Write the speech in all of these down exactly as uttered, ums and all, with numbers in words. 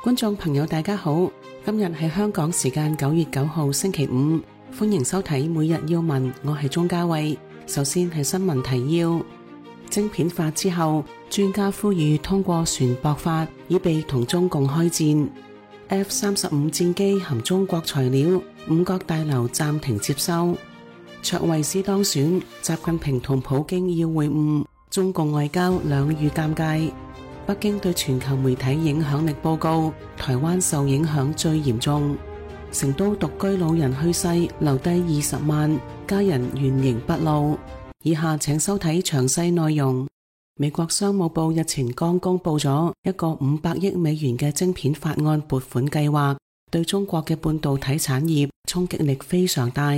觀眾朋友大家好，今日係香港時間九月九號星期五，歡迎收睇每日要聞，我係鍾嘉慧。首先係新聞提要：晶片法之後，專家呼籲通過船舶法，以備同中共開戰。F 三十五戰機含中國材料，五角大樓暫停接收。卓慧思當選，習近平同普京要會晤，中共外交兩遇尷尬。北京對全球媒體影響力報告，台灣受影響最嚴重。成都獨居老人去世，留低二十萬，家人原形畢露。以下請收睇詳細內容。美國商務部日前剛公布咗一個五百億美元嘅晶片法案撥款計劃，對中國嘅半導體產業衝擊力非常大。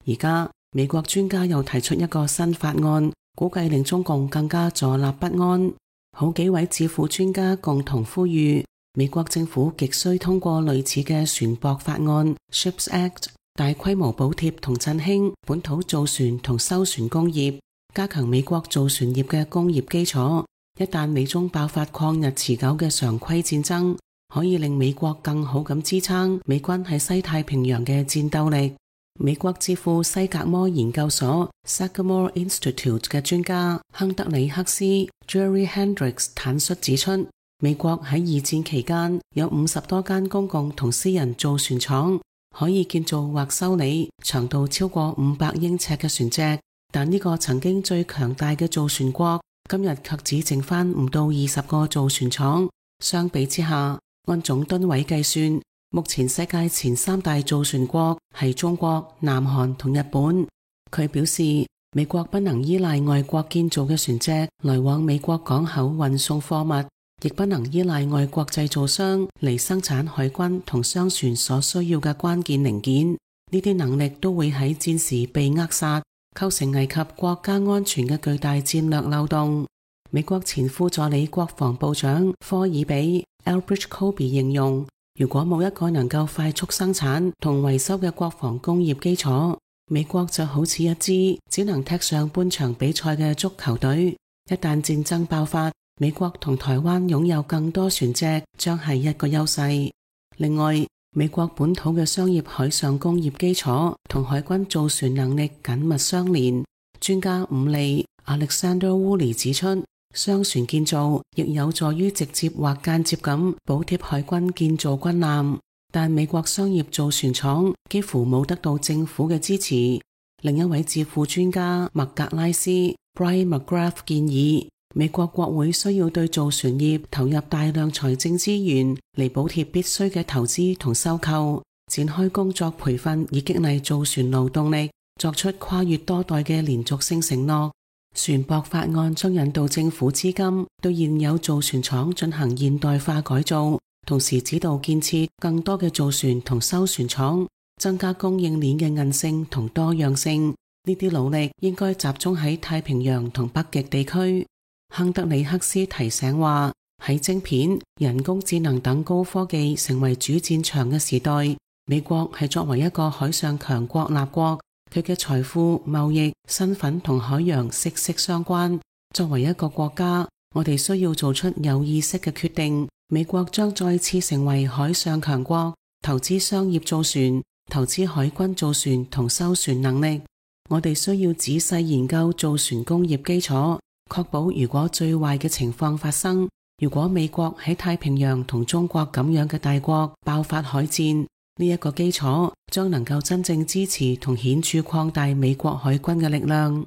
而家美國專家又提出一個新法案，估計令中共更加坐立不安。好幾位智庫專家共同呼籲，美國政府極需通過類似嘅船舶法案 Ships Act， 大規模補貼同振興本土造船同修船工業，加強美國造船業嘅工業基礎。一旦美中爆發曠日持久嘅常規戰爭，可以令美國更好咁支撐美軍喺西太平洋嘅戰鬥力。美國智庫西格摩研究所 Sagamore Institute 嘅專家亨德里克斯 Jerry Hendricks 坦率指出，美國喺二戰期間有五十多間公共同私人造船廠，可以建造或修理長度超過五百英尺嘅船隻，但呢個曾經最強大嘅造船國今日卻只剩翻唔到二十個造船廠。相比之下，按總噸位計算，目前世界前三大造船國係中國、南韓同日本。佢表示，美國不能依賴外國建造嘅船隻來往美國港口運送貨物，亦不能依賴外國製造商嚟生產海軍同商船所需要嘅關鍵零件。呢啲能力都會喺戰時被扼殺，構成危及國家安全嘅巨大戰略漏洞。美國前副助理國防部長科爾比 Elbridge Colby 形容，如果冇一個能夠快速生產同維修嘅國防工業基礎，美國就好似一支只能踢上半場比賽嘅足球隊。一旦戰爭爆發，美國同台灣擁有更多船隻將係一個優勢。另外，美國本土嘅商業海上工業基礎同海軍造船能力緊密相連。專家伍利 Alexander Woolley 指出，商船建造亦有助於直接或間接咁補貼海軍建造軍艦，但美國商業造船廠幾乎冇得到政府嘅支持。另一位智庫專家麥格拉斯 Brian McGrath 建議，美國國會需要對造船業投入大量財政資源嚟補貼必須嘅投資同收購，展開工作培訓以激勵造船勞動力，作出跨越多代嘅連續性承諾。船舶法案將引導政府資金對現有造船廠進行現代化改造，同時指導建設更多嘅造船同修船廠，增加供應鏈嘅韌性同多樣性。呢啲努力應該集中喺太平洋同北極地區。亨德里克斯提醒話，喺晶片、人工智能等高科技成為主戰場嘅時代，美國係作為一個海上強國立國，佢嘅財富、貿易、身份同海洋息息相關。作為一個國家，我哋需要做出有意識嘅決定。美國將再次成為海上強國，投資商業造船，投資海軍造船同修船能力。我哋需要仔細研究造船工業基礎，確保如果最壞嘅情況發生，如果美國喺太平洋同中國咁樣嘅大國爆發海戰，呢一個基礎將能夠真正支持同顯著擴大美國海軍嘅力量。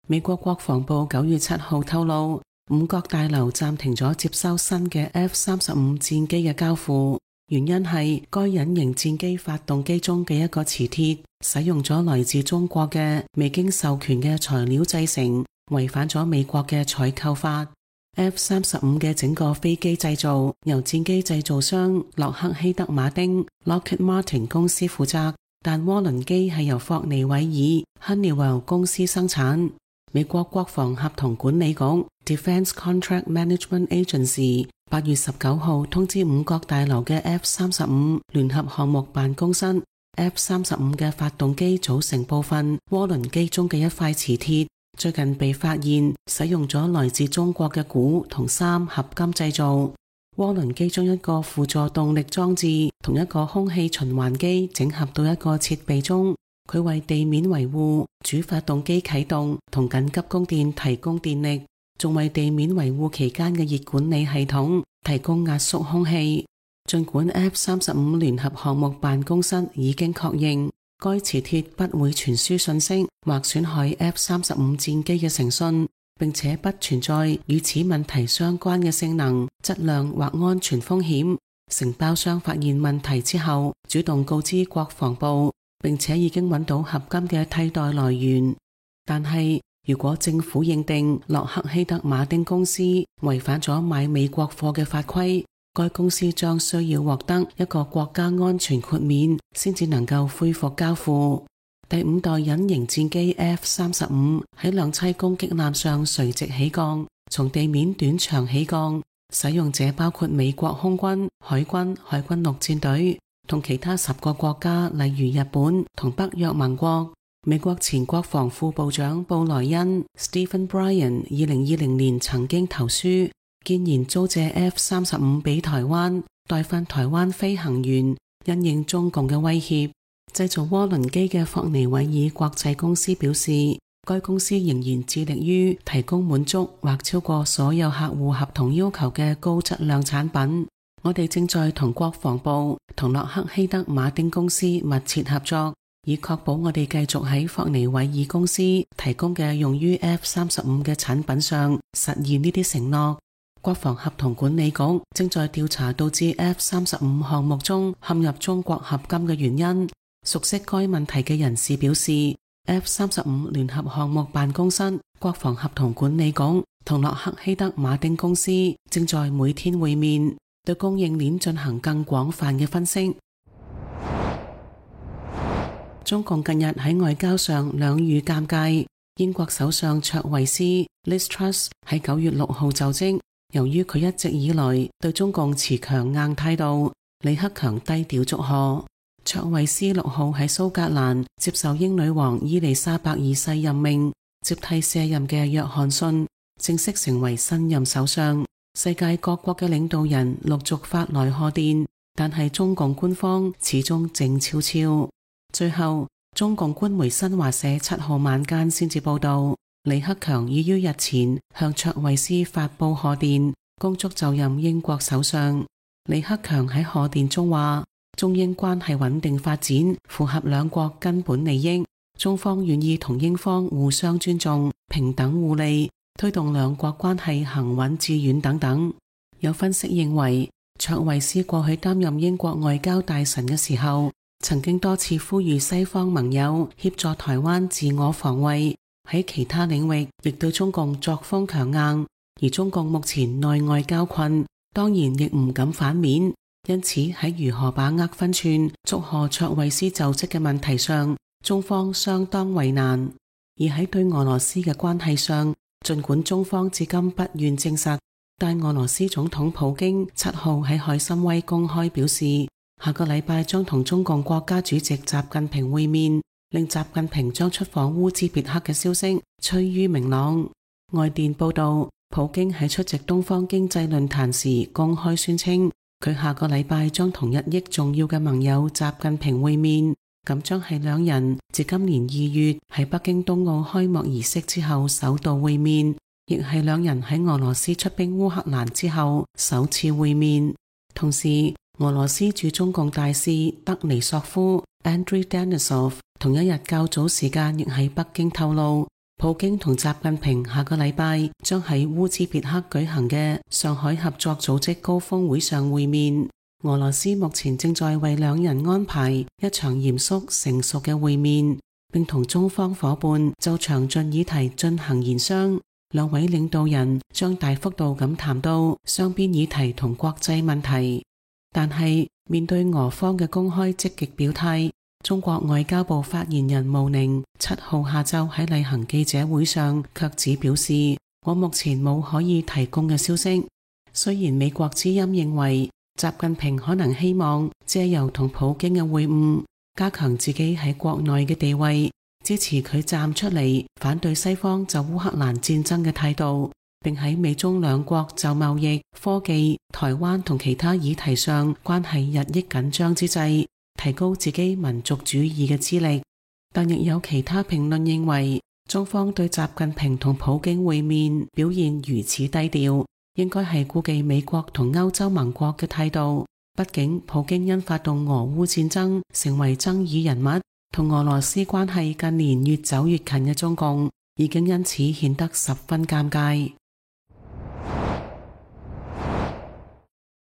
美國國防部九月七號透露，五角大樓暫停咗接收新嘅 F 三十五戰機嘅交付，原因係該隱形戰機發動機中嘅一個磁鐵使用咗來自中國嘅未經授權嘅材料製成，違反咗美國嘅採購法。F 三十五嘅整個飛機製造由戰機製造商洛克希德馬丁 Lockheed Martin 公司負責，但渦輪機係由霍尼韋爾 Honeywell 公司生產。美國國防合同管理局 Defense Contract Management Agency 八月十九號通知五角大樓嘅 F 三十五聯合項目辦公室， F 三十五嘅發動機組成部分渦輪機中嘅一塊磁鐵最近被發現使用咗來自中國嘅鈷同三合金製造。渦輪機將一個輔助動力裝置同一個空氣循環機整合到一個設備中，佢為地面維護、主發動機啟動同緊急供電提供電力，仲為地面維護期間嘅熱管理系統提供壓縮空氣。儘管 F 三十五聯合項目辦公室已經確認該磁鐵不會傳輸信息或損害 F 三十五戰機嘅誠信，並且不存在與此問題相關嘅性能、質量或安全風險。承包商發現問題之後，主動告知國防部，並且已經揾到合金嘅替代來源。但係，如果政府認定洛克希德馬丁公司違反咗買美國貨嘅法規，該公司將需要獲得一個國家安全豁免，先至能夠恢復交付。第五代隱形戰機 F 三十五喺兩棲攻擊艦上垂直起降，從地面短場起降，使用者包括美國空軍、海軍、海軍陸戰隊同其他十個國家，例如日本同北約盟國。美國前國防副部長布萊恩 Stephen Bryan 二零二零年曾經投書，建言租借 F 三十五俾台灣，代訓台灣飛行員，因應中共嘅威脅。製造渦輪機嘅霍尼韋爾國際公司表示，該公司仍然致力於提供滿足或超過所有客戶合同要求嘅高質量產品。我哋正在同國防部同洛克希德馬丁公司密切合作，以確保我哋繼續喺霍尼韋爾公司提供嘅用於 F 三十五嘅產品上實現呢啲承諾。國防合同管理局正在調查導致 F 三十五項目中陷入中國合金嘅原因。熟悉該問題嘅人士表示， F 三十五聯合項目辦公室、國防合同管理局同洛克希德馬丁公司正在每天會面，對供應鏈進行更廣泛嘅分析。中共近日喺外交上兩遇尷尬。英國首相卓慧思 Liz Truss 喺九月六號就職，由於佢一直以來對中共持強硬態度，李克強低調祝賀。卓慧思六號喺蘇格蘭接受英女王伊麗莎白二世任命，接替卸任嘅約翰遜，正式成為新任首相。世界各國嘅領導人陸續發來賀電，但係中共官方始終靜悄悄。最後，中共官媒新華社七號晚間先至報道，李克強已於日前向卓慧思發佈賀電，恭祝就任英國首相。李克強喺賀電中話，中英關係穩定發展符合兩國根本利益，中方願意同英方互相尊重、平等互利，推動兩國關係行穩致遠等等。有分析認為，卓慧思過去擔任英國外交大臣嘅時候，曾經多次呼籲西方盟友協助台灣自我防衛，喺其他領域亦對中共作風強硬，而中共目前內外交困，當然亦唔敢反面，因此喺如何把握分寸祝賀卓慧思就職嘅問題上，中方相當為難。而喺對俄羅斯嘅關係上，儘管中方至今不願證實，但俄羅斯總統普京七號喺海參崴公開表示，下個禮拜將同中共國家主席習近平會面，令習近平將出訪烏茲別克嘅消息趨於明朗。外電報道，普京喺出席東方經濟論壇時公開宣稱，佢下個禮拜將同日益重要嘅盟友習近平會面，咁將係兩人自今年二月喺北京冬奧開幕儀式之後首度會面，亦係兩人喺俄羅斯出兵烏克蘭之後首次會面。同時，俄羅斯駐中共大使德尼索夫 Andrei Denisov 同一日較早時間亦喺北京透露，普京同習近平下個禮拜將喺烏茲別克舉行嘅上海合作組織高峰會上會面。俄羅斯目前正在為兩人安排一場嚴肅成熟嘅會面，並同中方夥伴就詳盡議題進行研商。兩位領導人將大幅度咁談到雙邊議題同國際問題。但係面對俄方嘅公開積極表態，中國外交部發言人毛寧七號下晝喺例行記者會上卻只表示，我目前冇可以提供嘅消息。雖然美國之音認為習近平可能希望借由同普京嘅會晤加強自己喺國內嘅地位，支持佢站出嚟反對西方就烏克蘭戰爭嘅態度，並喺美中兩國就貿易、科技、台灣同其他議題上關係日益緊張之際，提高自己民族主義嘅資歷。但亦有其他評論認為，中方對習近平同普京會面表現如此低調，應該係顧忌美國同歐洲盟國嘅態度。畢竟普京因發動俄烏戰爭成為爭議人物，同俄羅斯關係近年越走越近嘅中共已經因此顯得十分尷尬。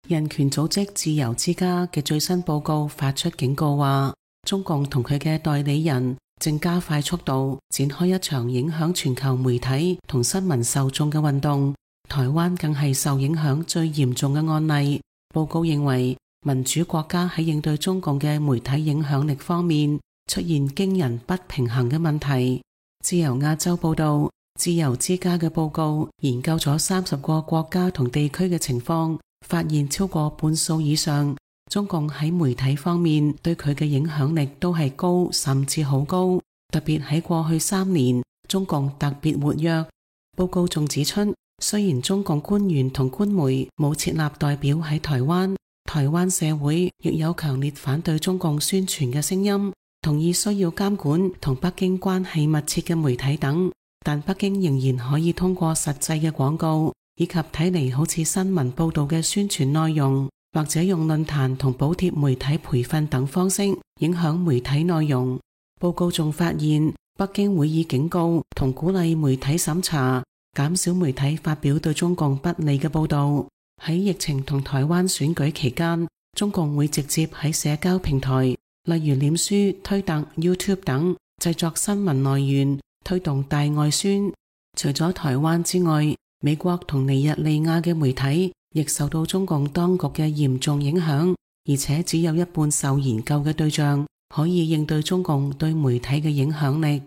人權組織自由之家嘅最新報告發出警告話，中共同佢嘅代理人正加快速度展開一場影響全球媒體同新聞受眾嘅運動，台灣更係受影響最嚴重嘅案例。報告認為，民主國家喺應對中共嘅媒體影響力方面出現驚人不平衡嘅問題。自由亞洲報道，自由之家嘅報告研究咗三十個國家同地區嘅情況，發現超過半數以上，中共喺媒體方面對佢嘅影響力都係高，甚至好高。特別喺過去三年，中共特別活躍。報告仲指出，雖然中共官員同官媒冇設立代表喺台灣，台灣社會亦有強烈反對中共宣傳嘅聲音，同意需要監管同北京關係密切嘅媒體等，但北京仍然可以通過實際嘅廣告，以及睇嚟好似新聞報道嘅宣傳內容，或者用論壇同補貼媒體培訓等方式影響媒體內容。報告仲發現，北京會以警告同鼓勵媒體審查，減少媒體發表對中共不利嘅報道。喺疫情同台灣選舉期間，中共會直接喺社交平台，例如臉書、推特、YouTube 等製作新聞來源，推動大外宣。除咗台灣之外，美國同尼日利亞嘅媒體亦受到中共當局嘅嚴重影響，而且只有一半受研究嘅對象可以應對中共對媒體嘅影響力。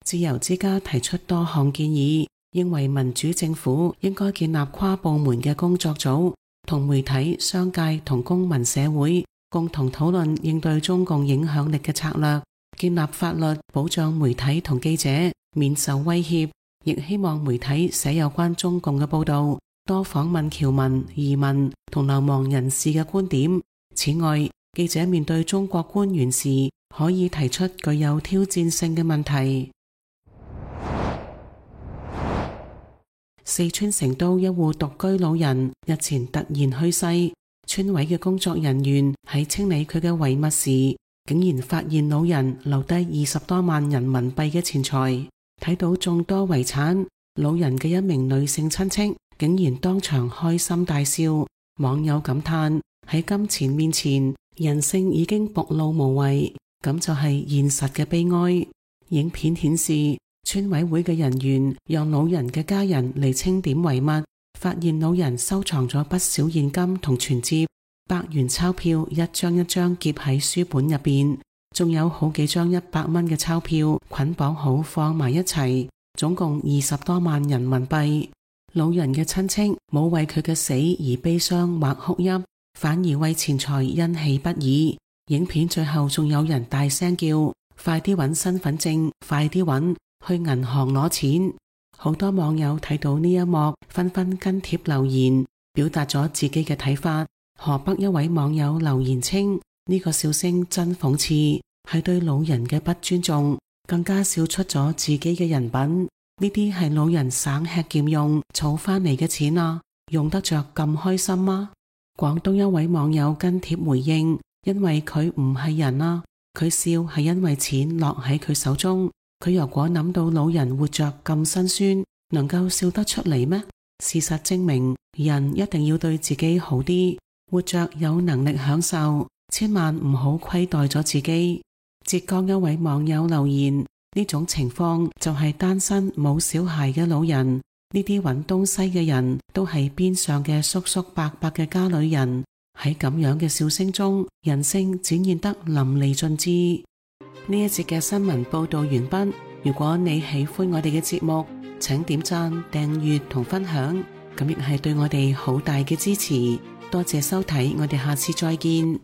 自由之家提出多項建議，認為民主政府應該建立跨部門嘅工作組，同媒體、商界同公民社會共同討論應對中共影響力嘅策略，建立法律保障媒體同記者免受威脅，亦希望媒體寫有關中共嘅報道，多訪問僑民、移民同流亡人士嘅觀點。此外，記者面對中國官員時可以提出具有挑戰性嘅問題。四川成都一戶獨居老人日前突然去世，村委嘅工作人員喺清理佢嘅遺物時，竟然發現老人留低二十多萬人民幣嘅錢財。睇到眾多遺產，老人嘅一名女性親戚竟然當場開心大笑。網友感嘆，喺金錢面前，人性已經暴露無遺，咁就係現實嘅悲哀。影片顯示，村委會嘅人員讓老人嘅家人嚟清點遺物，發現老人收藏咗不少現金同存摺，百元鈔票一張一張夾喺書本入邊，仲有好幾張一百蚊嘅鈔票捆綁好放埋一齊，總共二十多萬人民幣。老人嘅親戚冇為佢嘅死而悲傷或哭泣，反而為錢財欣喜不已。影片最後仲有人大聲叫：快啲揾身份證，快啲揾，去銀行攞錢。好多網友睇到呢一幕，紛紛跟帖留言，表達咗自己嘅睇法。河北一位網友留言稱，呢個笑聲真諷刺，係對老人嘅不尊重，更加笑出咗自己嘅人品。呢啲係老人省吃儉用儲翻嚟嘅錢啊，用得着咁開心嗎？廣東一位網友跟帖回應，因為佢唔係人啊，佢笑係因為錢落喺佢手中。佢如果諗到老人活着咁辛酸，能夠笑得出嚟咩？事實證明，人一定要對自己好啲，活着有能力享受，千萬唔好虧待咗自己。浙江一位網友留言，呢種情況就係單身冇小孩嘅老人，呢啲揾東西嘅人都係邊上嘅叔叔伯伯嘅家裏人。喺咁樣嘅笑聲中，人性展現得淋漓盡致。呢一節嘅新聞報道完畢。如果你喜歡我哋嘅節目，請點讚、訂閱同分享，咁亦係對我哋好大嘅支持。多謝收睇，我哋下次再見。